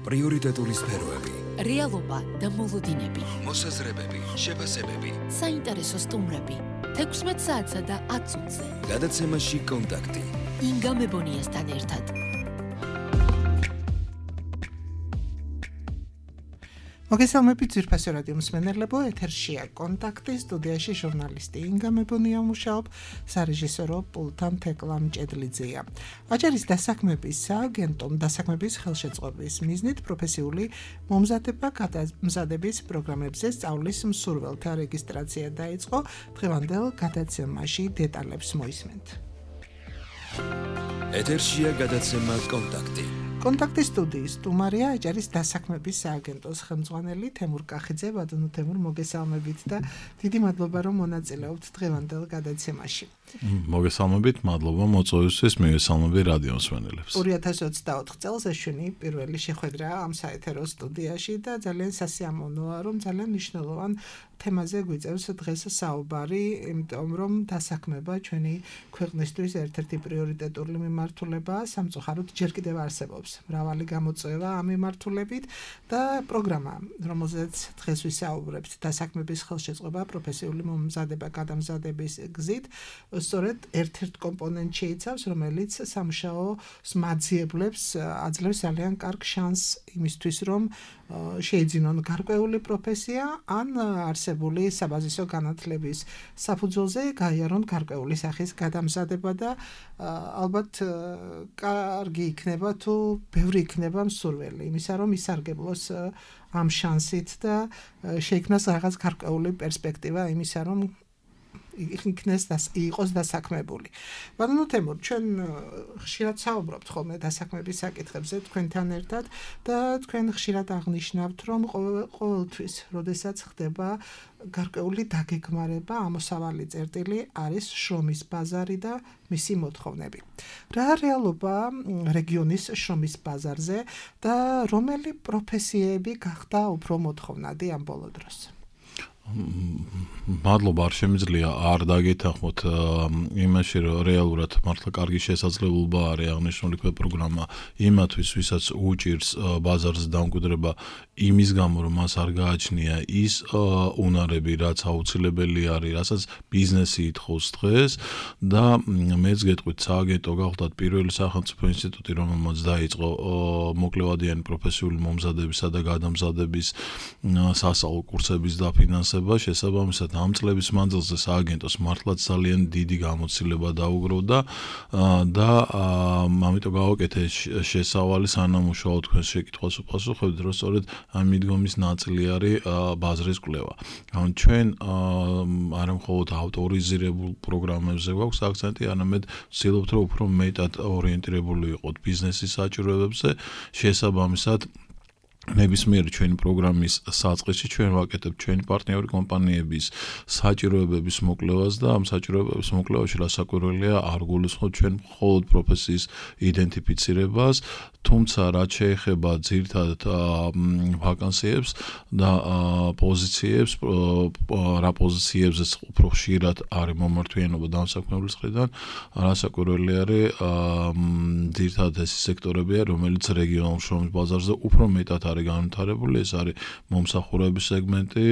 პრიორიტეტული სფეროები, რეალობა და მოლოდინები, მოსაზრებები, შეფასებები, საინტერესო სტუმრები, 16 საათსა და 10 წუთზე. გადაცემაში კონტაქტი. ინგა მებონიასთან ერთად. მოგესალმებით ძვირფასი რადიო მსმენელებო, ეთერშია კონტაქტი, სტუდიაში ჟურნალისტი ინგა მებონია მუშაობ, სარეჟისორო პულტთან თეკლა მჭედლიძეა. აჭარის დასაქმების სააგენტომ დასაქმების ხელშეწყობის მიზნით პროფესიული მომზადების პროგრამებზე სწავლის მსურველთა რეგისტრაცია დაიწყო. დღევანდელ გადაცემაში დეტალებს მოისმენთ. ეთერშია გადაცემა კონტაქტი. კონტაქტის სტუდიის სტუმარია აჭარის დასაქმების სააგენტოს ხელმძღვანელი თემურ კახიძე. ბატონო თემურ, მოგესალმებით და დიდი მადლობა რომ მონაწილეობთ დღევანდელ გადაცემაში. მოგესალმებით, მადლობა მოწვევისთვის, მივესალმები რადიო მსმენელებს. 2024 წელს ეშვენი პირველი შეხვედრა ამ საეთერო სტუდიაში და ძალიან სასიამოვნოა, რომ ძალიან მნიშვნელოვან თემაზე გვიწევს დღეს საუბარი, იმიტომ რომ დასაქმება ჩვენი ქვეყნისთვის ერთ-ერთი პრიორიტეტული მიმართულებაა, სამწუხაროდ ჯერ კიდევ არსებობს მრავალი გამოწვევა ამ მიმართულებით და პროგრამა, რომელზეც დღეს ვისაუბრებთ, დასაქმების ხელშეწყობა პროფესიული მომზადება გადამზადების გზით, სწორედ ერთ-ერთ კომპონენტს შეიცავს, რომელიც სამუშაოს მაძიებლებს აძლევს ძალიან კარგ შანსს იმისთვის, რომ შეიძინონ გარკვეული პროფესია ან არსებული საბაზისო განათლების საფუძველზე გაიარონ გარკვეული სახის გადამზადება და ალბათ კარგი იქნება თუ ბევრი იქნება მსურველი იმისა, რომ ისარგებლოს ამ შანსით და შეიქმნას რაღაც გარკვეული პერსპექტივა იმისა, რომ იყოს დასაქმებული. ბატონო თემურ, ჩვენ ხშირად საუბრობთ ხოლმე დასაქმების საკითხებზე თქვენთან ერთად და თქვენ ხშირად აღნიშნავთ, რომ ყოველთვის, როდესაც ხდება გარკვეული დაგეგმარება, ამოსავალი წერტილი არის შრომის ბაზარი და მისი მოთხოვნები. რა რეალობა რეგიონის შრომის ბაზარზე და რომელი პროფესიები გახდა უფრო მოთხოვნადი ამ ბოლო დროს? მადლობა, არ შემიძლია არ დაგეთანხმოთ იმაში, რომ რეალურად მართლა კარგი შესაძლებლობა არის აღნიშნული პროგრამა იმათვის, ვისაც უჭირს ბაზარზე დამკვიდრება იმის გამო, რომ მას არ გააჩნია ის უნარები, რაც აუცილებელი არის, რასაც ბიზნესი ითხოვს დღეს და მეც გეტყვით, სააგენტო გახლდათ პირველი სახელმწიფო ინსტიტუტი, რომელმაც დაიწყო მოკლევადიანი პროფესიული მომზადებისა და გადამზადების სასწავლო კურსების დაფინანსება. შესაბამისად ამ წლების მანძილზე სააგენტოს მართლაც ძალიან დიდი გამოცდილება დაუგროვდა და ამიტომ გავაკეთე შესავალი სანამუშაო თქვენს შეკითხვას უპასუხებთ, რომ სწორედ ამ მიდგომის ნაწილი არის ბაზრის კვლევა. ჩვენ არა მხოლოდ ავტორიზირებულ პროგრამებზე გვაქვს აქცენტი, არამედ ვცდილობთ, რომ უფრო მეტად ორიენტირებული ვიყოთ ბიზნესის საჭიროებებზე, შესაბამისად ნებისმიერი ჩვენი პროგრამის საწყისში ჩვენ ვაკეთებთ ჩვენი პარტნიორი კომპანიების საჭიროებების მოკვლევას და ამ საჭიროებების მოკვლევაში რასაკვირველია არ გულისხმობთ ჩვენ მხოლოდ პროფესიის იდენტიფიცირებას, თუმცა რაც შეეხება ძირითადად ვაკანსიებს და პოზიციებს, რა პოზიციებზეც უფრო ხშირად არის მომართვიანობა დამსაქმებლის მხრიდან, რასაკვირველი არის ძირითადად ეს სექტორებია, რომელიც რეგიონულ შრომის ბაზარზე უფრო მეტად არის განვითარებული, ეს არის მომსახურების სეგმენტი,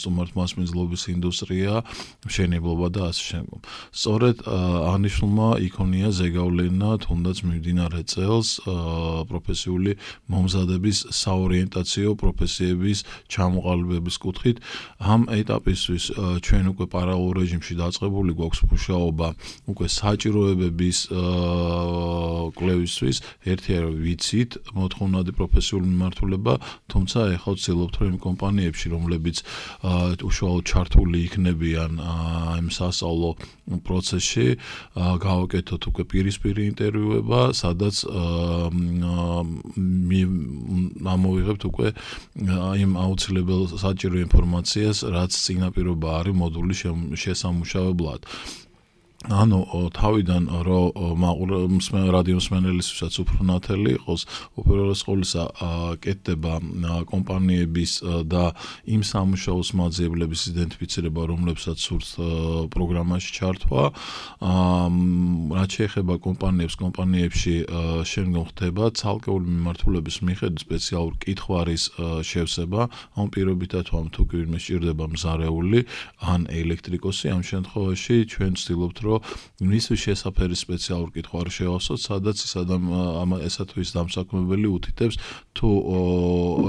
სტუმართმასპინძლობის ინდუსტრია, მშენებლობა და ასე შემდგომ. სწორედ აღნიშნულმა იქონია ზეგავლენა თუნდაც მიმდინარე წელს პროფესიული მომზადების საორიენტაციო პროფესიების ჩამოყალიბების კუთხით. ამ ეტაპისთვის ჩვენ უკვე პარალელურ რეჟიმში დაწყებული გვაქვს მუშაობა უკვე საჭიროებების კვლევისთვის. ერთია რომ ვიცით მოთხოვნადი პროფესიული მიმართულება, თუმცა ეხლა ვცდილობთ რომ იმ კომპანიებში, რომლებიც უშუალოდ ჩართული იქნებიან იმ სასწავლო პროცესში, გავაკეთოთ უკვე პირისპირი ინტერვიუება, სადაც ამოვიღებთ უკვე იმ აუცილებელ საჭირო ინფორმაციას, რაც წინაპირობა არის მოდულის შესამუშავებლად. ანუ თავიდან რომ რადიო მსმენელისთვისაც უფრო ნათელი იყოს, უპირველეს ყოვლისა კეთდება კომპანიების და იმ სამუშაოს მაძიებლების იდენტიფიცირება, რომლებსაც სურთ პროგრამაში ჩართვა. რაც შეეხება კომპანიებში შემდგომ ხდება ცალკეული მიმართულების მიხედვით სპეციალური კითხვარის შევსება, ამ პირობითად ვამ თუ ვინმე სჭირდება მზარეული ან ელექტრიკოსი, ამ შემთხვევაში ჩვენ ვცდილობთ რომ მისთვის შესაფერი სპეციალური კითხვარი შევასვათ, სადაც ესა თუ ის დამსაქმებელი უთითებს თუ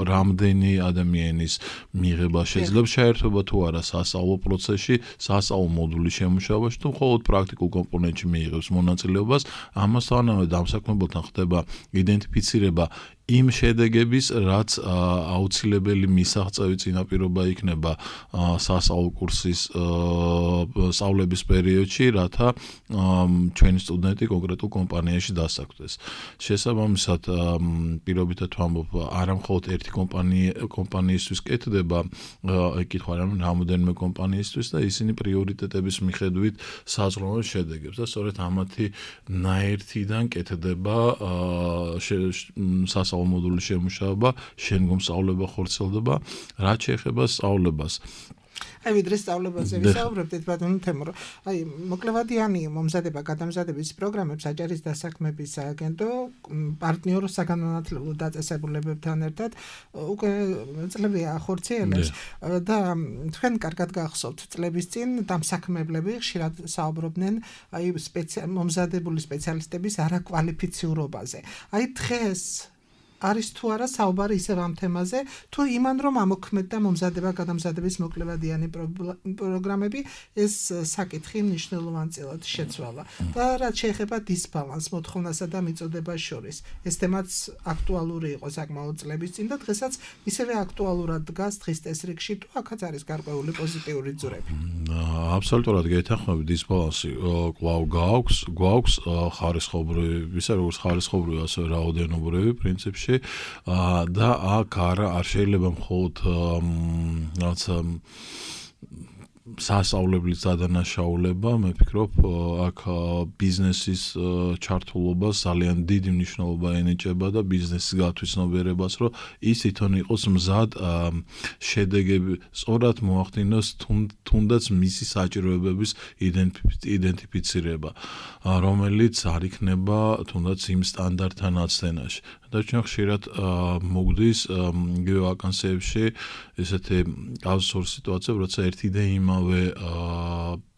რამდენი ადამიანის მიღება შეიძლება შეერთება თუ არა სასწავლო პროცესში, სასწავლო მოდულის შემუშავებაში თუ მხოლოდ პრაქტიკულ კომპონენტში მიიღებს მონაწილეობას, ამასთანავე დამსაქმებელთან ხდება იდენტიფიცირება იმ შედეგების, რაც აუცილებელი მისაღწევი წინაპირობა იქნება სასწავლო კურსის სწავლების პერიოდში, რათა ჩვენი სტუდენტი კონკრეტულ კომპანიაში დასაქმდეს. შესაბამისად, პირობითად ვამბობ, არა მხოლოდ ერთი კომპანიისთვის კეთდება კითხვარი, ანუ რამოდენიმე კომპანიისთვის და ისინი პრიორიტეტების მიხედვით საზრუნავენ შედეგებს და სწორედ ამათი ნაერთიდან კეთდება სასწავლო მოდულის შემუშავება, შემდგომ სწავლება ხორციელდება, რაც შეეხება სწავლებას. აი ვიდრე სწავლებაზე ვისაუბრებდით ბატონო თემურო. აი მოკლევადიანი მომზადება გადამზადების პროგრამებს აჭარის დასაქმების სააგენტო პარტნიორ საგანმანათლებლო დაწესებულებებთან ერთად უკვე წლებია ახორციელებს და თქვენ კარგად გახსოვთ წლების წინ დამსაქმებლები ხშირად საუბრობდნენ აი მომზადებული სპეციალისტების არაკვალიფიციურობაზე. აი დღეს არის თუ არა საუბარი ისევ ამ თემაზე, თუ იმან რომ ამოქმედდა მომზადება გადამზადების მოკლევადიანი პროგრამები, ეს საკითხი მნიშვნელოვანწილად შეცვალა. და რაც შეეხება დისბალანს მოთხოვნასა და მიწოდებას შორის, ეს თემაც აქტუალური იყო საკმაოდ წლების წინ და დღესაც ისევე აქტუალურად დგას დღის წესრიგში, თუ აქაც არის გარკვეული პოზიტიური ძვრები. აბსოლუტურად გეთანხმები, დისბალანსი კვლავ გვაქვს ხარისხობრივი, ისე როგორც ხარისხობრივი, ასევე რაოდენობრივი პრინციპში. და აქ არ შეიძლება მხოლოდ რაცა სასწავლებლის დადანაშაულება, მე ვფიქრობ, აქ ბიზნესის ჩართულობა ძალიან დიდი მნიშვნელობა ენიჭება და ბიზნესის გათვითცნობიერებას, რომ ის თვითონ იყოს მზად შედეგები სწორად მოახდინოს თუნდაც მისი საჭიროებების იდენტიფიცირება, რომელიც არ იქნება თუნდაც იმ სტანდარტთან აცდენაში. და ჩვენ ხშირად მოგდის იგივე ვაკანსიებში ესეთი კაუზური სიტუაციები, როცა ერთი და იმავე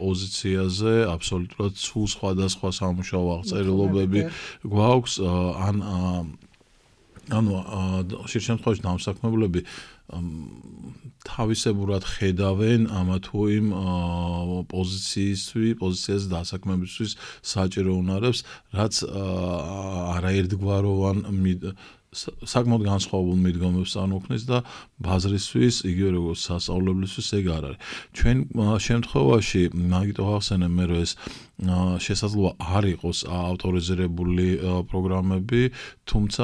პოზიციაზე აბსოლუტურად სულ სხვადასხვა სამუშაო აღწერილობები გვაქვს, ანუ ხშირ შემთხვევაში დამსაქმებლები თავისებურად ხედავენ ამა თუ იმ პოზიციაზე დასაქმებისთვის საჭირო უნარებს, რაც არაერთგვაროვან საკმაოდ განსხვავებულ მიდგომებს წარმოქმნის და ბაზრისთვის, იგივე როგორც სასწავლებლისთვის ეგ არ არის. ჩვენ შემთხვევაში, მაგიტომ ახსენებ მე, რომ ეს შესაძლოა არ იყოს ავტორიზირებული პროგრამები, თუმცა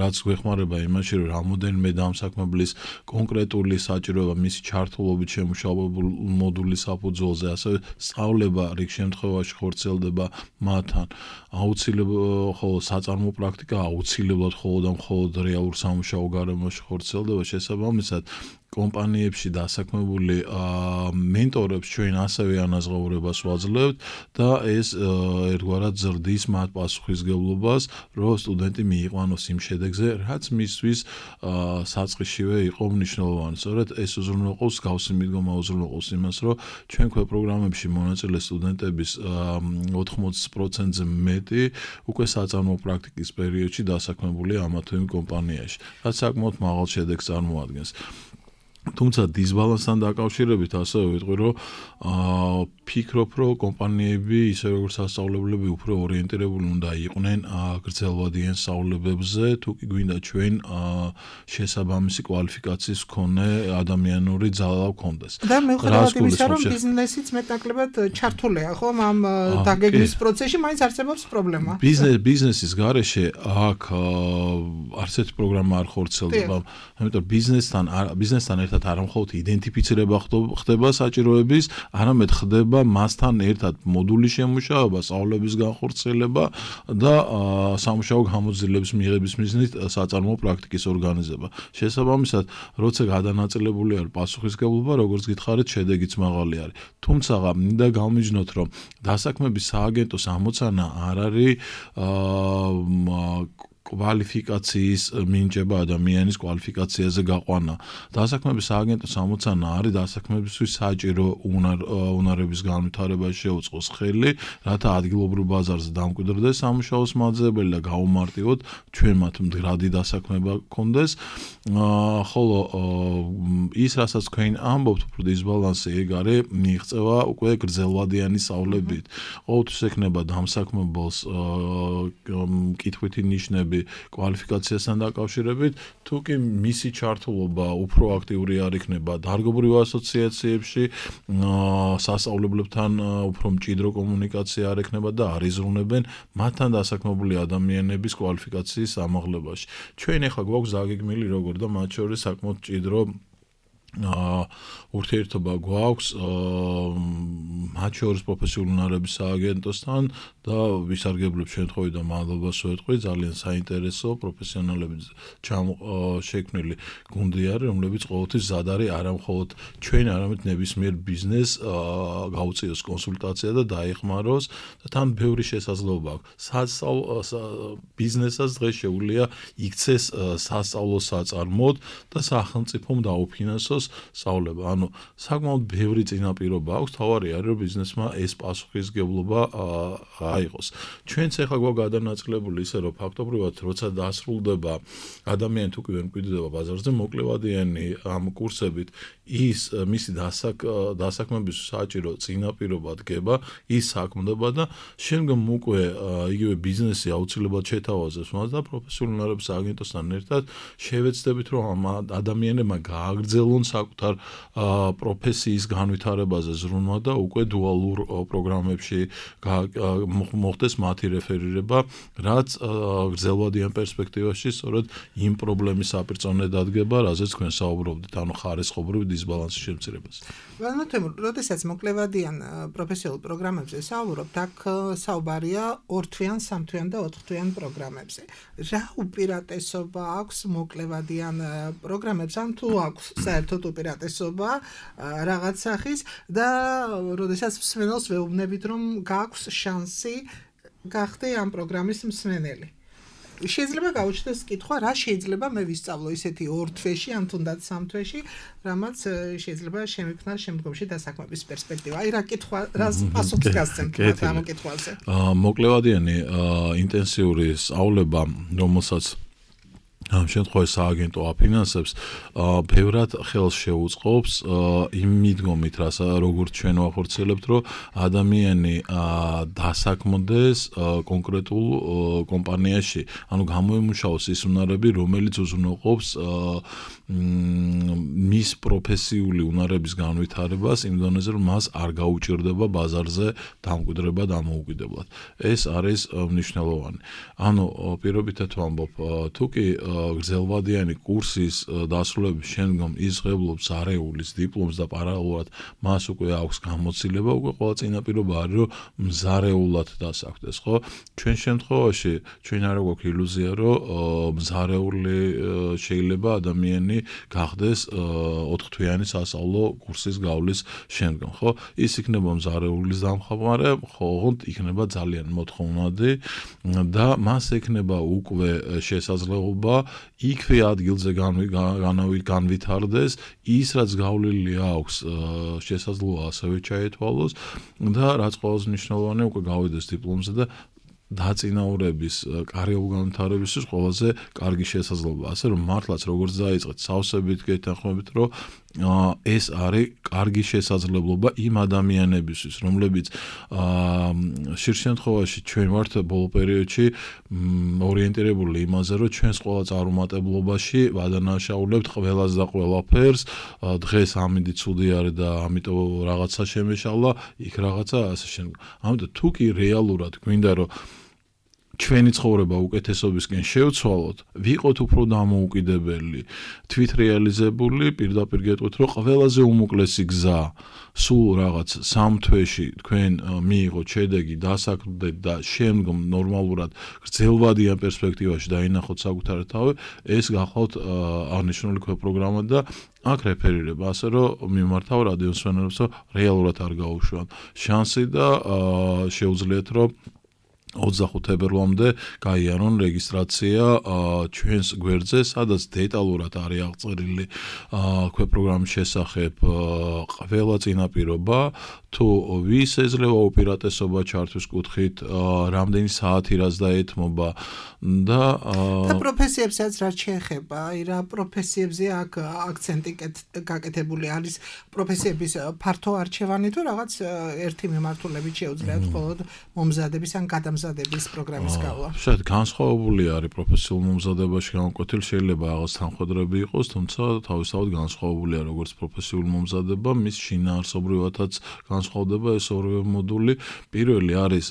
რაც გვეხმარება იმაში, რომ რამოდენიმე დამსაქმებლის კონკრეტული საჭიროება მისი ჩართულობით შემუშავებულ მოდულის საფუძველზე, ასევე სწავლება რიგ შემთხვევაში ხორციელდება მათთან. აუცილებლად ხოლო საწარმო პრაქტიკა აუცილებლად მხოლოდ რეალურ სამუშაო გარემოში ხორციელდება, შესაბამისად კომპანიებში დასაქმებული მენტორებს ჩვენ ასევე ანაზღაურებას ვაძლევთ და ეს ერთგვარად ზრდის მათ პასუხისმგებლობას, რომ სტუდენტი მიიყვანოს იმ შედეგზე, რაც მისთვის საწყისშივე იყო მნიშვნელოვანი. სწორედ ეს უზრუნველყოფს გავსი მიდგომა უზრუნველყოფს იმას, რომ ჩვენ პროგრამებში მონაწილე სტუდენტების 80%-ზე მეტი უკვე საწარმო პრაქტიკის პერიოდში დასაქმებულია ამა თუ იმ კომპანიაში, რაც საკმაოდ მაღალ შედეგს წარმოადგენს. თუმცა დისბალანსთან დაკავშირებით ასევე ვიტყვი, რომ ფიქრობ, რომ კომპანიები, ისე როგორც სასწავლებლები, უფრო ორიენტირებული უნდა იყვნენ გრძელვადიან სწავლებებზე, თუ კი გვინდა ჩვენ შესაბამისი კვალიფიკაციის მქონე ადამიანური ძალა გქონდეს. და მიუხედავად იმისა, რომ ბიზნესიც მეტნაკლებად ჩართულია, ხო, ამ დაგეგმვის პროცესში, მაინც არსებობს პრობლემა. ბიზნესის გარეშე აქ არც ერთი პროგრამა არ ხორციელდება, ამიტომ ბიზნესთან ერთად ერთად არა მხოლოდ იდენტიფიცირება ხდება საჭიროების, არამედ ხდება მასთან ერთად მოდულის შემუშავება, სწავლების განხორციელება და სამუშაო გამოძიების მიღების მიზნით საწარმოო პრაქტიკის ორგანიზება. შესაბამისად, როცა გადანაწილებული არის პასუხისმგებლობა, როგორც გითხარით, შედეგიც მაღალი არის. თუმცა მინდა გავმიჯნოთ, რომ დასაქმების სააგენტოს ამოცანა არ არის კვალიფიკაციის მინიჭება ადამიანის კვალიფიკაციაზე გაყვანა. დასაქმების სააგენტოს ამოცანა არის დასაქმებისთვის საჭირო უნარების განვითარებაში შეუწყოს ხელი, რათა ადგილობრივ ბაზარზე დამკვიდრდეს სამუშაოს მაძიებელი და გაუმარტივოთ ჩვენ მათ მდგრადი დასაქმება გქონდეს. ხოლო ის, რასაც თქვენ ამბობთ, უფრო დისბალანსი ეგ არის, მიიღწევა უკვე გრძელვადიანი სწავლებით. ყოველთვის ექნება დამსაქმებელს კითხვითი ნიშნები კვალიფიკაციასთან დაკავშირებით, თუ კი მისი ჩართულობა უფრო აქტიური არ იქნება დარგობრივ ასოციაციებში, სასწავლებლებთან უფრო მჭიდრო კომუნიკაცია არ ექნება და არ იზრუნებენ მათთან დასაქმებული ადამიანების კვალიფიკაციის ამაღლებაში. ჩვენ ახლა გვაქვს ზაგეგმილი როგორ და მათ შორის საკმაოდ მჭიდრო ურთიერთობა გვაქვს მათ შორის პროფესიული უნარების სააგენტოსთან და ვისარგებლებ შემთხვევით და მადლობას ვეთქვი, ძალიან საინტერესო პროფესიონალები შექმნილი გუნდი არის, რომლებიც ყოველთვის ზად არის არა მხოლოდ ჩვენ, არამედ ნებისმიერ ბიზნესს გაუწიოს კონსულტაცია და დაეხმაროს და თან ბევრი შესაძლებლობა აქვს. ბიზნესსაც დღეს შეუძლია იქცეს სასწავლო საწარმოდ და სახელმწიფომ დაუფინანსოს სწავლება. ანუ საკმაოდ ბევრი წინაპირობა აქვს, თავარი არის, რომ ბიზნესმა ეს პასუხისმგებლობა აიღოს. ჩვენც ახლა გვაქვს გადანაწილებული ისე, რომ ფაქტობრივად როცა დასრულდება ადამიანი თუ კი ვერ მკვიდრდება ბაზარზე, მოკლევადიანი ამ კურსებით ის მისი დასაქმების საჭირო წინაპირობა დგება, ის საქმდება და შემდგომ უკვე იგივე ბიზნესი აუცილებლად შეთავაზებს მას და პროფესიული უნარების სააგენტოსთან ერთად შევეცდებით, რომ ამ ადამიანებმა გააგრძელონ საკუთარ პროფესიის განვითარებაზე ზრუნვა და უკვე დუალურ პროგრამებში მოხდეს მათი რეფერირება, რაც გრძელვადიან პერსპექტივაში სწორედ იმ პრობლემის საპირწონე დადგება, რაზეც თქვენ საუბრობდით, ანუ ხარისხობრივი დისბალანსის შემცირებას. როდესაც მოკლევადიან პროფესიულ პროგრამებზე საუბრობთ, აქ საუბარია 2-თვიან, 3-თვიან და 4-თვიან პროგრამებზე. რა უპირატესობა აქვს მოკლევადიან პროგრამებს, ან თუ აქვს საერთოდ უპირატესობა რაღაც სახის და როდესაც მსმენელს ვეუბნებით, რომ გაქვს შანსი გახდე ამ პროგრამის მსმენელი. შეიძლება გაუჩნდეს კითხვა, რა შეიძლება მე ვისწავლო ისეთი 2 თვეში, ან თუნდაც 3 თვეში, რამაც შეიძლება შემიქმნას შემდგომში დასაქმების პერსპექტივა. აი რა კითხვა, რა პასუხს გასცემთ ამ კითხვაზე? მოკლევადიანი ინტენსიური სწავლება, რომელსაც ამ შემთხვევაში სააგენტო აფინანსებს, ბევრად ხელს შეუწყობს იმ მიდგომით, როგორც ჩვენ ვახორციელებთ, რომ ადამიანი დასაქმდეს კონკრეტულ კომპანიაში, ანუ გამოემუშაოს ის უნარები, რომელიც უზრუნველყოფს მის პროფესიული უნარების განვითარებას იმ დონეზე, რომ მას არ გაუჭირდება ბაზარზე დამკვიდრება დამოუკიდებლად. ეს არის მნიშვნელოვანი. ანუ პირობითად ვამბობ, თუ კი გრძელვადიანი კურსის დასრულების შემდგომ იზღებლობს არეულის დიპლომს და პარალელურად მას უკვე აქვს გამოცდილება, უკვე ყველა წინაპირობა არის, რომ მზარეულად დასაქმდეს, ხო? ჩვენ შემთხვევაში ჩვენ არ გვაქვს ილუზია, რომ მზარეული შეიძლება ადამიანი გახდეს 4-თვიანი სასწავლო კურსის გავლის შემდგომ, ხო? ის იქნება მზარეულის დამხმარე, ხოლმე იქნება ძალიან მოთხოვნადი და მას ექნება უკვე შესაძლებლობა იქვე ადგილზე განვითარდეს ის, რაც გავლილი აქვს, შესაძლოა ასევე ჩაეთვალოს და რაც ყველაზე მნიშვნელოვანია, უკვე გავიდეს დიპლომზე და დაწინაურების კარიერულ განვითარებისთვის ყველაზე კარგი შესაძლებლობა. ასე რომ მართლაც როგორც დაიწყეთ სავსებით გეთანხმებით, რომ ეს არის კარგი შესაძლებლობა იმ ადამიანებისთვის, რომლებიც ხშირ შემთხვევაში ჩვენ ვართ ბოლო პერიოდში ორიენტირებული იმაზე, რომ ჩვენს ყველა წარუმატებლობაში ვადანაშაულებთ ყველას და ყველაფერს, დღეს ამინდი ცუდი არის და ამიტომ რაღაცა შემეშალა, იქ რაღაცა ასე შემდეგ. ამიტომ თუ კი რეალურად გვინდა, რომ ჩვენი ცხოვრება უკეთესობისკენ შევცვალოთ, ვიყოთ უფრო დამოუკიდებელი, თვითრეალიზებული, პირდაპირ გეტყვით, რომ ყველაზე უმოკლესი გზა სულ რაღაც 3 თვეში თქვენ მიიღოთ შედეგი, დასაქმდეთ და შემდგომ ნორმალურად გრძელვადიან პერსპექტივაში დაინახოთ საკუთარ თავი, ეს გახლავთ აღნიშნული პროგრამა და აქ რეფერირება ასე რომ მიმართავ რადიო მსმენელებს, რომ რეალურად არ გაუშვან შანსი და შეუძლიათ რომ 25 თებერვლამდე გაიარონ რეგისტრაცია ჩვენს გვერდზე, სადაც დეტალურად არის აღწერილი პროგრამის შესახებ ყველა წინაპირობა, თუ ვის ეძლევა უპირატესობა ჩართვის კუთხით, რამდენი საათი რაც დაეთმობა და პროფესიებსაც რაც შეეხება, რა პროფესიებზე აქ აქცენტი გაკეთებული არის პროფესიების ფართო არჩევანი თუ რაღაც ერთი მიმართულებით შეუძლიათ მხოლოდ მომზადების ან გადამზადების პროგრამის გავლა. შეიძლება განსხვავებული არის პროფესიულ მომზადებაში განკვეთილი, შეიძლება რაღაც თანხმდები იყოს, თუმცა თავისთავად განსხვავებულია როგორც პროფესიულ მომზადება, მის შინაარსობრივადაც განსხვავდება ეს ორივე მოდული. პირველი არის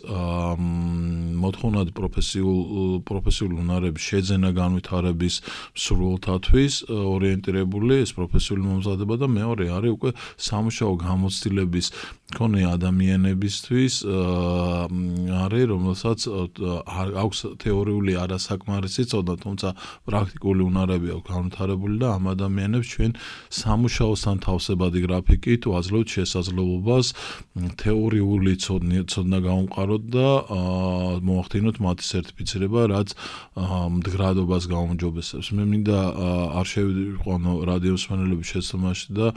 მოთხოვნად პროფესიული უნარების შეძენა განვითარების მსურველთათვის ორიენტირებული ეს პროფესიული მომზადება და მეორე არის უკვე სამუშაო გამოცდილების მქონე ადამიანებისთვის არის, რომელსაც აქვს თეორიული არასაკმარისი წოდება, თუმცა პრაქტიკული უნარები აქვს განვითარებული და ამ ადამიანებს ჩვენ სამუშაოსთან თავსებადი გრაფიკით ვაძლევთ შესაძლებლობას თეორიული ცოდნა გაუმყაროთ და მოახდინოთ მათი სერტიფიცირება, რაც მდგრადობას გაუმჯობესებს. მე მინდა არ შევიყვანო რადიო მსმენელების შეცდომაში და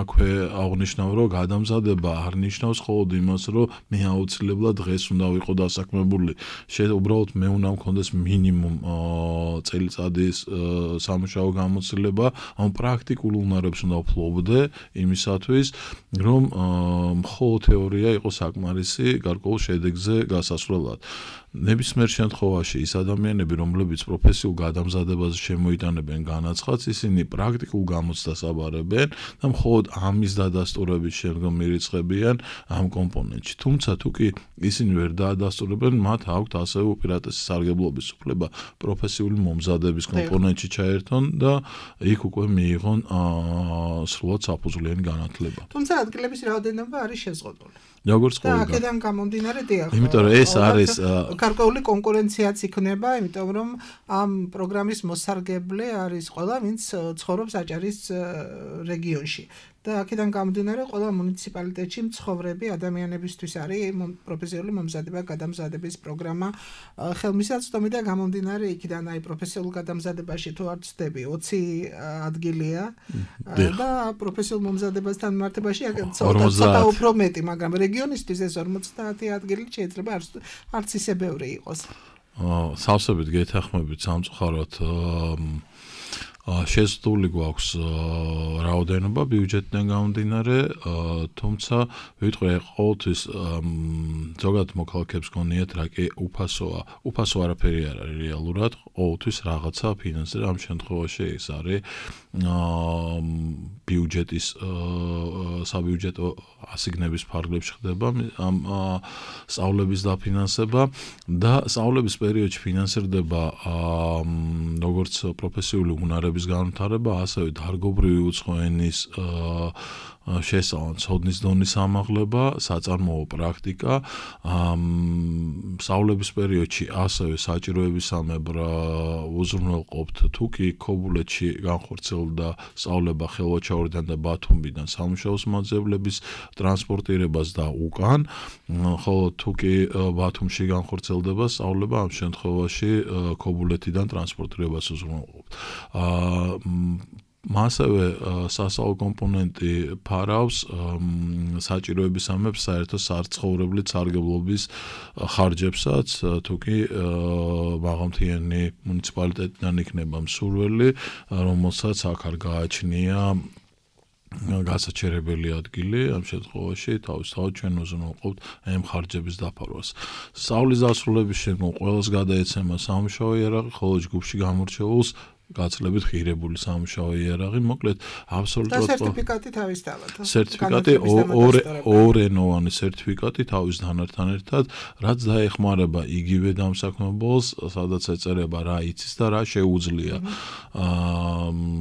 აქვე აღნიშნავ, რომ გადამზადება არ ნიშნავს მხოლოდ იმას, რომ მე აუცილებლად დღეს უნდა ვიყო დასაქმებული. უბრალოდ მე უნდა მქონდეს მინიმუმ წელიწადის სამუშაო გამოცდილება, ამ პრაქტიკულ უნარებს უნდა ვფლობდე იმისათვის, რომ მხოლოდ თეორია იყოს საკმარისი გარკვეულ შედეგზე გასასვლელად. ნებისმიერ შემთხვევაში ის ადამიანები, რომლებიც პროფესიულ გადამზადებაზე შემოიტანებენ განაცხადს, ისინი პრაქტიკულ გამოცდას აბარებენ და მხოლოდ ამის დადასტურების შემდგომ მირიცხებიან ამ კომპონენტში. თუმცა თუ კი ისინი ვერ დაადასტურებენ, მათ აქვთ ასევე უპირატესი სარგებლობის უფლება პროფესიული მომზადების კომპონენტში ჩაერთონ და იქ უკვე მიიღონ სრულად საფუძვლიანი განათლება. თუმცა ადგილების რაოდენობა არის შეზღუდული. როგორც ყოველდღე. აქედან გამომდინარე დიახ. იმიტომ რომ ეს არის გარკვეული კონკურენციაც იქნება, იმიტომ რომ ამ პროგრამის მოსარგებლე არის ყველა, ვინც ცხოვრობს აჭარის რეგიონში. და აქედან გამომდინარე ყველა მუნიციპალიტეტში მცხოვრები ადამიანებისთვის არის პროფესიული მომზადება გადამზადების პროგრამა ხელმისაწვდომი და გამომდინარე იქიდან აი პროფესიულ გადამზადებაში თუ არ ვცდები 20 ადგილია და პროფესიულ მომზადებასთან მიმართებაში ცოტა უფრო მეტი, მაგრამ რეგიონისთვის ეს 50 ადგილი შეიძლება არც ისე ბევრი იყოს. სავსებით გეთანხმებით სამწუხაროდ შეზღუდული გვაქვს რაოდენობა ბიუჯეტიდან გამომდინარე, თუმცა ვიტყვი ყოველთვის ზოგადად მოქალაქეებს გონიათ რა კი უფასო არაფერი არ არის რეალურად, ყოველთვის რაღაცა ფინანსი, ამ შემთხვევაში ეს არის ბიუჯეტის საბიუჯეტო ასიგნების ფარგლებში ხდება ამ სწავლების დაფინანსება და სწავლების პერიოდში ფინანსირდება როგორც პროფესიული უნარების განვითარება, ასევე დარგობრივი უცხო ენის შესწავლა, ცოდნის დონის ამაღლება, საწარმოო პრაქტიკა, სწავლების პერიოდში ასევე საჭიროებისამებრ უზრუნველყოფთ თუ კი ქობულეთში განხორციელდა სწავლება ხელვაჩაურიდან და ბათუმიდან სამუშაოს მაძიებლების ტრანსპორტირებას და უკან, ხოლო თუ კი ბათუმში განხორციელდება სწავლება, ამ შემთხვევაში ქობულეთიდან ტრანსპორტირებას უზრუნველყოფთ. მასევე სასწავლო კომპონენტი ფარავს საჭიროებისამებრ საერთო საცხოვრებლი სარგებლობის ხარჯებსაც, თუ კი მაღალმთიანი მუნიციპალიტეტიდან იქნება მსურველი, რომელსაც აქ არ გააჩნია გასაჩერებელი ადგილი, ამ შემთხვევაში თავისთავად ჩვენ უზრუნველყოფთ ამ ხარჯების დაფარვას. სწავლის დასრულების შემდგომ ყველას გადაეცემა სამუშაო იარაღი, ხოლო ჯგუფში გამორჩეულს გაცლებით ღირებული სამუშაო იარაღი, მოკლედ აბსოლუტურად სერტიფიკატი თავისთავად. სერტიფიკატი ორენოვანი სერტიფიკატი თავისთანთან ერთად, რაც დაეხმარება იგივე დამსაქმებელს, სადაც ეწერება რა იცის და რა შეუძლია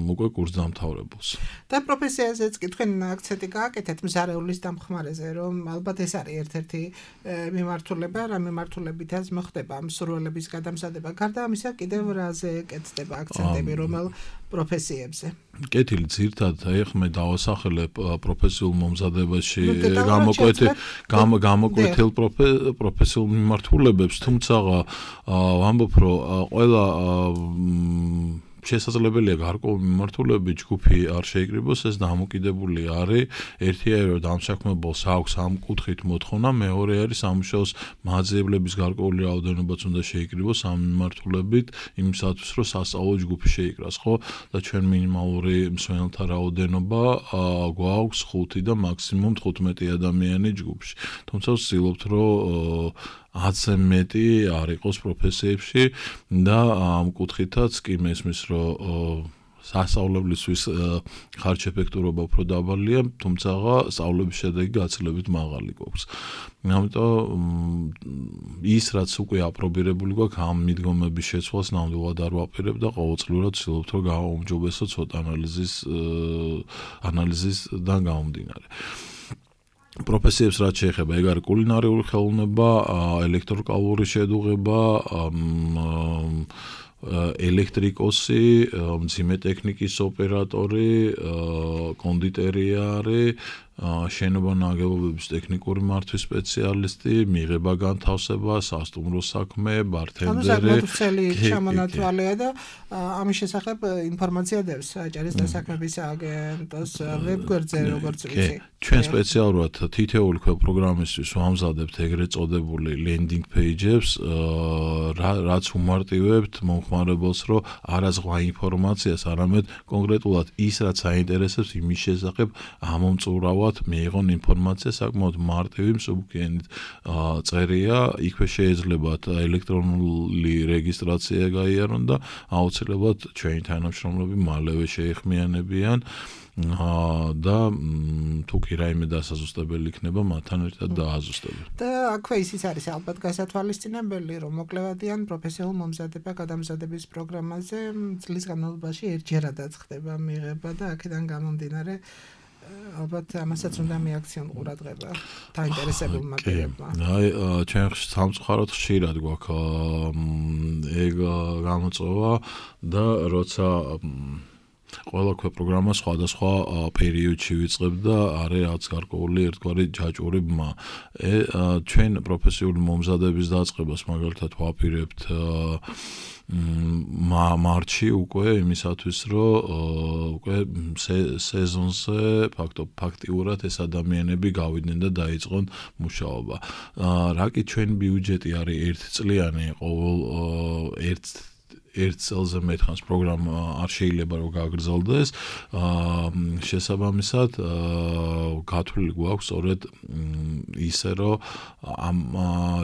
უკვე კურსდამთავრებელს. და პროფესიაზეც კი თქვენ აქცენტი გააკეთეთ მზარეულის დამხმარეზე, რომ ალბათ ეს არის ერთ-ერთი მიმართულება, რა მიმართულებითაც მოხდება მსურველების გადამზადება. გარდა ამისა, კიდევ რაზე კეთდება აქცენტები, რომელ პროფესიებზე? კეთილი ძირთად ეხმე დავასახელებ პროფესიულ მომზადებაში გამოკვეთილ პროფესიულ მიმართულებებს, თუმცა ვამბობ, რომ ყველა შესაძლებელია გარკვეული მიმართულებით ჯგუფი არ შეიკრიბოს, ეს დამოკიდებული არის ერთია რომ დამსაქმებელს აქვს ამ კუთხით მოთხოვნა, მეორე არის სამუშაოს მაძიებლების გარკვეული რაოდენობაც უნდა შეიკრიბოს ამ მიმართულებით იმისათვის რომ სასწავლო ჯგუფი შეიკრას, ხო? და ჩვენ მინიმალური მსმენელთა რაოდენობა გვაქვს 5 და მაქსიმუმ 15 ადამიანი ჯგუფში. თუმცა ვცდილობთ რომ 10-ზე მეტი არ იყოს პროფესიებში და ამ კუთხითაც კი მესმის რომ სასწავლებლისთვის ხარჯ-ეფექტურობა უფრო დაბალია, თუმცა სწავლების შედეგი გაცილებით მაღალი გვაქვს. ამიტომ ის რაც უკვე აპრობირებული გვაქვს ამ მიდგომების შეცვლას ნამდვილად არ ვაპირებ და ყოველწლიურად ვცდილობთ რომ გავაუმჯობესო ცოტა ანალიზისიდან გამომდინარე. პროფესიებს რაც შეეხება, ეგ არის კულინარიული ხელოვნება, ელექტროკალური შედუღება, ელექტრიკოსი, მძიმე ტექნიკის ოპერატორი, კონდიტერია არის, შენობა ნაგებობების ტექნიკური მართვის სპეციალისტი, მიღება განთავსება, სასტუმრო საქმე, ბართენდერი. ანუ საკმაოდ ჩამონათვალეა და ამის შესახებ ინფორმაცია დევს აჭარის დასაქმების აგენტოს ვებგვერდზე, როგორც ვიცი. ჩვენ სპეციალურად თითოეული პროგრამისთვის ვამზადებთ ეგრეთ წოდებული landing pages, რაც უმარტივებთ მომხმარებელს, რომ არა ზღვა ინფორმაციას, არამედ კონკრეტულად ის, რაც აინტერესებს იმის შესახებ ამომწურავად მიიღონ ინფორმაცია საკმაოდ მარტივი მსუბუქიანით წერია, იქვე შეიძლებათ ელექტრონული რეგისტრაცია გაიარონ და აუცილებლად ჩვენი თანამშრომლები მალევე შეეხმიანებიან და თუ კი რაიმე დასაზუსტებელი იქნება, მათთან ერთად დააზუსტებენ. და აქვე ისიც არის ალბათ გასათვალისწინებელი, რომ მოკლევადიან პროფესიულ გადამზადების პროგრამაზე წლის განმავლობაში ერთჯერადაც ხდება მიღება და აქედან გამომდინარე ალბათ ამასაც უნდა მიაქციონ ყურადღება დაინტერესებულმა პირებმა. აი, ჩვენ სამწუხაროდ ხშირად გვაქვს ეგ გამოწვევა და როცა ყველა პროგრამა სხვადასხვა პერიოდში ვიწყებ და არის რაც გარკვეული ერთგვარი ჯაჭვური ბმა. ჩვენ პროფესიული მომზადების დაწყებას მაგალითად ვაპირებთ მარტში უკვე იმისათვის რომ უკვე სეზონზე ფაქტიურად ეს ადამიანები გავიდნენ და დაიწყონ მუშაობა. რა კი ჩვენ ბიუჯეტი არის ერთწლიანი, ყოველ ერთ წელზე მეტხანს პროგრამა არ შეიძლება რომ გაგრძელდეს, შესაბამისად გათვლილი გვაქვს სწორედ ისე რომ ამ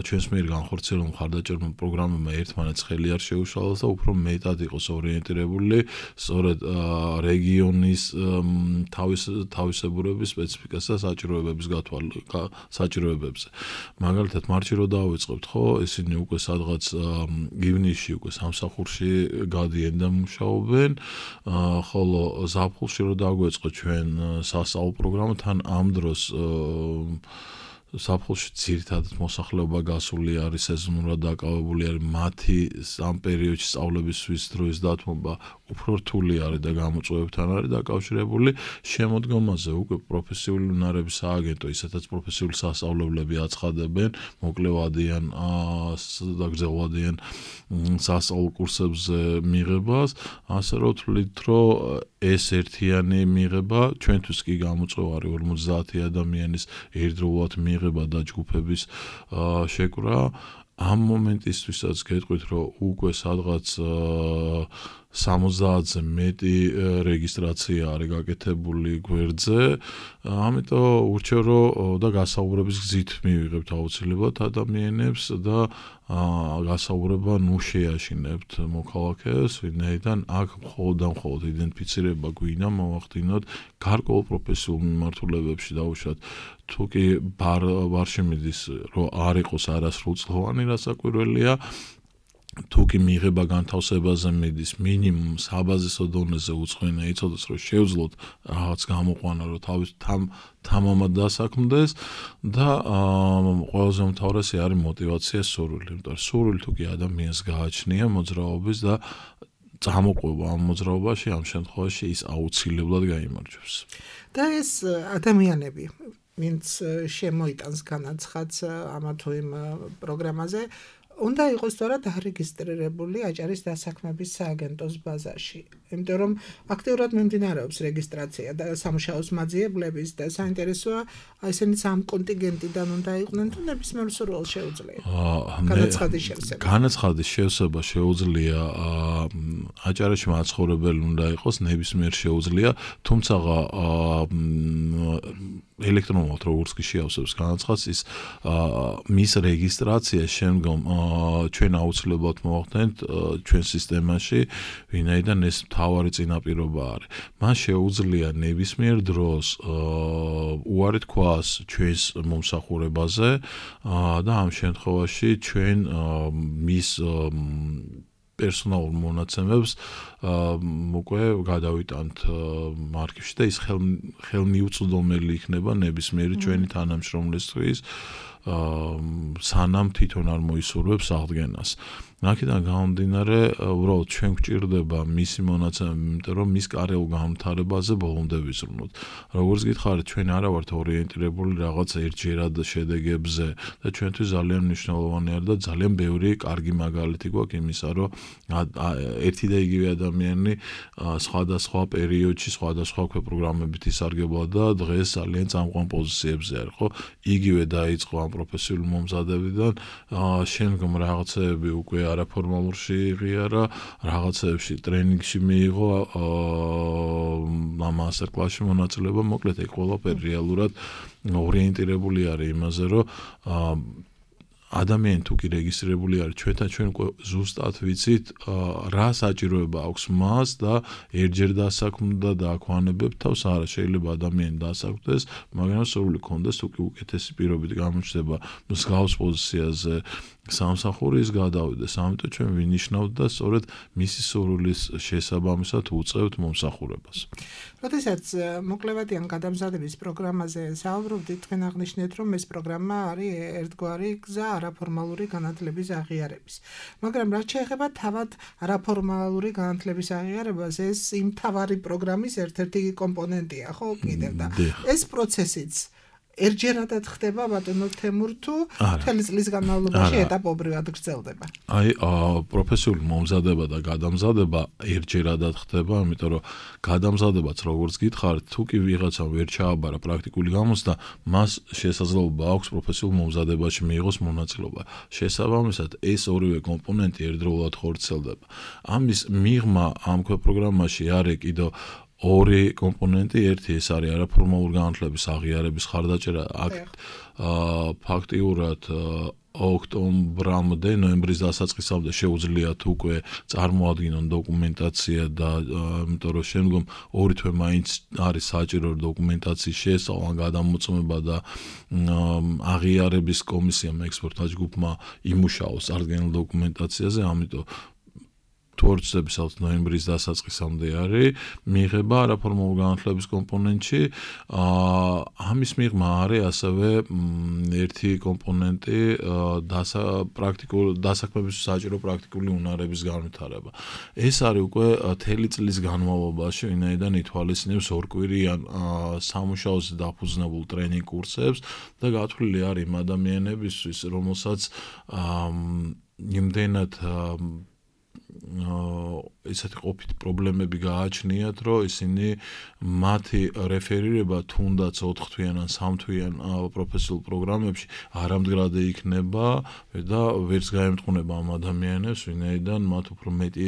ჩვენს მიერ განხორციელებულ მხარდაჭერებმა პროგრამებმა ერთმანეთს ხელი არ შეუშალოს და უფრო მეტად იყოს ორიენტირებული სწორედ რეგიონის თავისებურების სპეციფიკას და საჭიროებებზე. მაგალითად მარტში რო დავიწყებთ, ხო, ისინი უკვე სადღაც ივნისში უკვე სამსახურში გადიან და მუშაობენ, ხოლო ზაფხულში რო დაგვეწყო ჩვენ სასწავლო პროგრამა, თან ამ დროს ზაფხულში ძირითადად მოსახლეობა გასული არის, სეზონურად დაკავებული არის, მათი ამ პერიოდში სწავლებისთვის დროის დათმობა უფრო რთული არის და გამოწვევებთან არის დაკავშირებული. შემოდგომაზე უკვე პროფესიული უნარების სააგენტო, ისედაც პროფესიული სასწავლებლები აცხადებენ, მოკლევადიან და გრძელვადიან სასწავლო კურსებზე მიღებას, ასე რომ ვთვლით, რომ ეს ერთიანი მიღება ჩვენთვის კი გამოწვევა არის 50 ადამიანის ერთდროულად მიღება და ჯგუფების შეკრა. ამ მომენტისთვისაც გეტყვით, რომ უკვე სადღაც 70-ზე მეტი რეგისტრაცია არის გაკეთებული გვერდზე, ამიტომ ურჩევ რომ და გასაუბრების გზით მივიღებთ აუცილებლად ადამიანებს და გასაუბრება ნუ შეაშინებთ მოქალაქეს, ვინაიდან აქ მხოლოდ იდენტიფიცირება გვინდა მოვახდინოთ გარკვეულ პროფესიულ მიმართულებებში დაუშვათ თუ კი ბარში მიდის რომ არ იყოს არასრულწლოვანი რასაკვირველია თუ კი მიიღება განთავსებაზე მიდის მინიმუმ საბაზისო დონეზე უცხოენა იცოდეს რომ შეუძლოთ რაღაც გამოყვანა რომ თავის თამამად დასაქმდეს და ყველაზე უმთავრესი არის мотивация სურვილი, იმიტომ რომ სურვილი თუ კი ადამიანს გააჩნია მოძრაობის და წამოყვება ამ მოძრაობაში ამ შემთხვევაში ის აუცილებლად გაიმარჯვებს. და ეს ადამიანები ვინც შემოიტანს განაცხადს ამა თუ იმ პროგრამაზე უნდა იყოს სწორად დარეგისტრირებული აჭარის დასაქმების სააგენტოს ბაზაში. იმიტომ რომ აქტიურად მიმდინარეობს რეგისტრაცია და სამუშაოს მაძიებლების და საინტერესოა ესენიც ამ კონტინგენტიდან უნდა იყვნენ თუ ნებისმიერ სურვილს შეუძლია. განაცხადის შევსება. განაცხადის შევსება შეუძლია აჭარაში მაცხოვრებელი უნდა იყოს ნებისმიერ შეუძლია, თუმცა ელექტრონულად როგორც კი შეავსებს განაცხადს ის მის რეგისტრაციას შემდგომ ჩვენ აუცილებლად მოვახდენთ ჩვენ სისტემაში, ვინაიდან ეს მთავარი წინაპირობა არის. მას შეუძლია ნებისმიერ დროს უარი თქვას ჩვენს მომსახურებაზე და ამ შემთხვევაში ჩვენ მის პერსონალურ მონაცემებს უკვე გადავიტანთ არქივში და ის ხელმიუწვდომელი იქნება ნებისმიერი ჩვენი თანამშრომლისთვის სანამ თვითონ არ მოისურვებს აღდგენას. აქედან გამომდინარე, უბრალოდ ჩვენ გვჭირდება მისი მონაცემები, იმიტომ რომ მის კარგულ განვითარებაზე ბოლომდე ვიზრუნოთ. როგორც გითხარით, ჩვენ არა ვართ ორიენტირებული რაღაც ერთჯერად შედეგებზე და ჩვენთვის ძალიან მნიშვნელოვანი არის და ძალიან ბევრი კარგი მაგალითი გვაქვს იმისა, რომ ერთი და იგივე ადამიანი სხვადასხვა პერიოდში სხვადასხვა პროგრამებით ისარგებლა და დღეს ძალიან წამყვან პოზიციებზე არის, ხო? იგივე დაიწყო ამ პროფესიული მომზადებიდან, შემდგომ რაღაცეები უკვე არაფორმალურში იღიარა, რაღაცეებში ტრენინგში მიიღო მასტერ კლასში მონაწილეობა, მოკლედ ეგ ყველაფერი რეალურად ორიენტირებული არის იმაზე, რომ ადამიანი თუ კი რეგისტრირებული არის ჩვენ უკვე ზუსტად ვიცით რა საჭიროება აქვს მას და ერთჯერ დასაქმდა და აქვანებებს თავს არა შეიძლება ადამიანი დასაქმდეს მაგრამ სურვილი ქონდეს თუ კი უკეთესი პირობით გამოჩნდება მსგავს პოზიციაზე სამსახურის გადავიდეს ამიტომ ჩვენ ვინიშნავთ და სწორედ მისი სურვილის შესაბამისად უწევთ მომსახურებას. როდესაც მოკლევადიან გადამზადების პროგრამაზე საუბრობდით, თქვენ აღნიშნეთ, რომ ეს პროგრამა არის ერთგვარი გზა არაფორმალური განათლების აღიარების. მაგრამ რაც შეეხება თავად არაფორმალური განათლების აღიარებას, ეს იმ თავარი პროგრამის ერთ-ერთი კომპონენტია, ხო, კიდევ და ეს პროცესიც ერთჯერადად ხდება ბატონო თემურ თუ მთელი წლის განმავლობაში ეტაპობრივად გრძელდება? აი, პროფესიული მომზადება და გადამზადება ერთჯერადად ხდება, იმიტომ რომ გადამზადებაც როგორც გითხარით, თუ კი ვიღაცამ ვერ ჩააბარა პრაქტიკული გამოცდა, მას შესაძლებლობა აქვს პროფესიულ მომზადებაში მიიღოს მონაწილეობა. შესაბამისად, ეს ორივე კომპონენტი ერთდროულად ხორციელდება. ამის მიღმა ამ პროგრამაში არის კიდევ ორი კომპონენტი, ერთი ეს არის არაფორმალური განათლების აღიარების ხარდაჭერა, აქ ფაქტიურად ოქტომბრამდე, ნოემბრის დასაწყისამდე შეუძლიათ უკვე წარმოადგინონ დოკუმენტაცია და იმიტომ რომ შემდგომ ორი თვე მაინც არის საჭირო დოკუმენტაციის შესწავლა, გადამოწმება და აღიარების კომისიამ ექსპერტთა ჯგუფმა იმუშაოს წარდგენილ დოკუმენტაციაზე, ამიტომ თორცების ნოემბრის დასაწყისამდე არის მიიღება არაფორმალური განათლების კომპონენტში. ამის მიღმა არის ასევე ერთი კომპონენტი დასაქმების საჭირო პრაქტიკული უნარების განვითარება. ეს არის უკვე მთელი წლის განმავლობაში, ვინაიდან ითვალისწინებს ორკვირიან სამუშაოზე დაფუძნებულ ტრენინგ კურსებს და გათვლილი არის იმ ადამიანებისთვის, რომელსაც იმდენად ესეთი ყოფით პრობლემები გააჩნიათ, რომ ისინი მათი რეფერირება თუნდაც 4 თვიან ან 3 თვიან პროფესიულ პროგრამებში არამდგრადი იქნება და ვერც გაემტყუნება ამ ადამიანებს, ვინაიდან მათ უფრო მეტი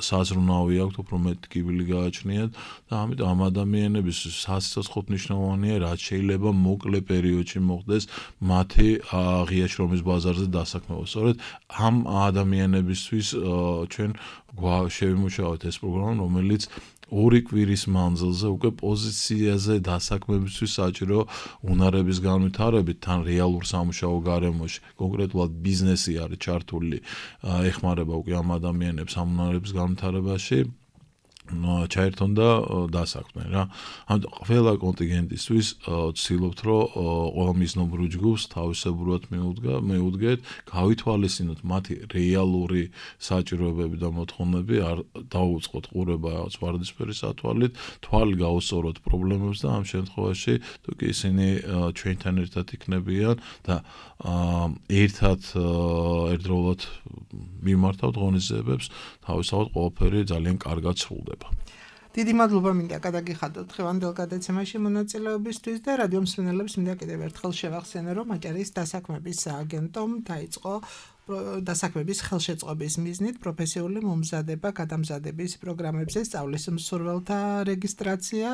საზრუნავი აქვთ, უფრო მეტი კიბილი გააჩნიათ და ამიტომ ამ ადამიანების სასიცოცხლოდ მნიშვნელოვანია, რაც შეიძლება მოკლე პერიოდში მოხდეს მათი ღია შრომის ბაზარზე დასაქმება. სწორედ ამ ადამიანებისთვის ჩვენ შევიმუშავოთ ეს პროგრამა, რომელიც 2 კვირის მანძილზე უკვე პოზიციაზე დასაქმებისთვის საჭირო უნარების განვითარებით თან რეალურ სამუშაო გარემოში, კონკრეტულად ბიზნესი არის ჩართული, ეხმარება უკვე ამ ადამიანებს ამ უნარების განვითარებაში. ჩაერთონ და დასაქმდნენ რა. ამიტომ ყველა კონტინგენტისთვის ვცდილობთ, რომ ყველა მიზნობრივ ჯგუფს თავისებურად მეუდგეთ, გავითვალისწინოთ მათი რეალური საჭიროებები და მოთხოვნები, არ დაუწყოთ ყურება რაღაც ვარდისფერი სათვალით, თვალი გაუსწოროთ პრობლემებს და ამ შემთხვევაში თუ კი ისინი ჩვენთან ერთად იქნებიან და ერთად ერთდროულად მიმართავთ ღონისძიებებს, თავისთავად ყველაფერი ძალიან კარგად სრულდება. დიდი მადლობა მინდა გადაგიხადოთ დღევანდელ გადაცემაში მონაწილეობისთვის და რადიო მსმენელებს მინდა კიდევ ერთხელ შევახსენო, რომ აჭარის დასაქმების სააგენტომ დაიწყო დასაქმების ხელშეწყობის მიზნით პროფესიული მომზადება გადამზადების პროგრამებზე სწავლის მსურველთა რეგისტრაცია.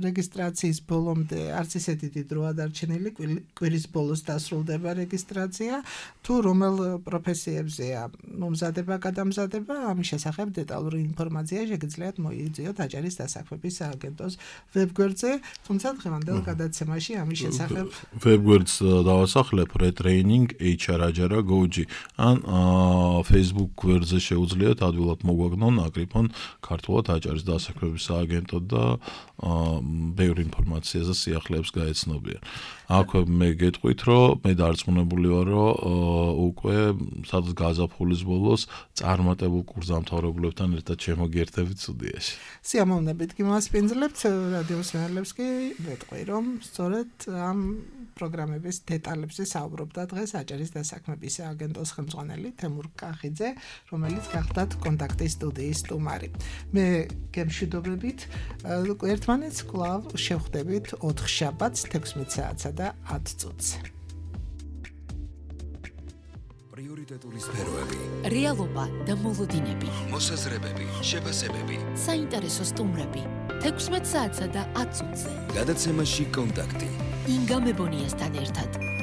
რეგისტრაციის ბოლომდე არც ისეთი დიდი დრო ადარჩენილი, კვირის ბოლოს დასრულდება რეგისტრაცია. თუ რომელ პროფესიებზეა მომზადება გადამზადება, ამის შესახებ დეტალური ინფორმაცია შეგიძლიათ მოიგზავნოთ აჭარის დასაქმების სააგენტოს ვებგვერდზე, თუმცა დღევანდელ გადაცემაში ამის შესახებ ვებგვერდს დავასახლებ retraining HR ან Facebook გვერდზე შეუძლიათ ადვილად მოგვაგნონ, აკრიფონ ქართულად აჭარის დასაქმების სააგენტო და ბევრი ინფორმაციაზე სიახლეებს გაეცნობიან. აქვე მე გეტყვით, რომ მე დარწმუნებული ვარ, რომ უკვე სადღაც გაზაფხულის ბოლოს წარმატებულ კურსდამთავრებულებთან ერთად შემოგიერთებით სტუდიაში. სიამოვნებით გიმასპინძლებთ, რადიო მსმენელებს კი ვეტყვი, რომ სწორედ ამ პროგრამების დეტალებზე საუბრობდა დღეს აჭარის დასაქმების სააგენტოს ხელმძღვანელი თემურ კახიძე, რომელიც გახდათ კონტაქტის სტუდიის სტუმარი. მე გემშვიდობებით ერთმანეთს კვლავ შევხვდებით 4 შაბათს 16 საათსა და 10 წუთზე. პრიორიტეტული სფეროები, რეალობა და მოლოდინები, მოსაზრებები, შეფასებები, საინტერესო სტუმრები 16 საათსა და 10 წუთზე. გადაცემაში კონტაქტი. ინგა მებონიასთან ერთად.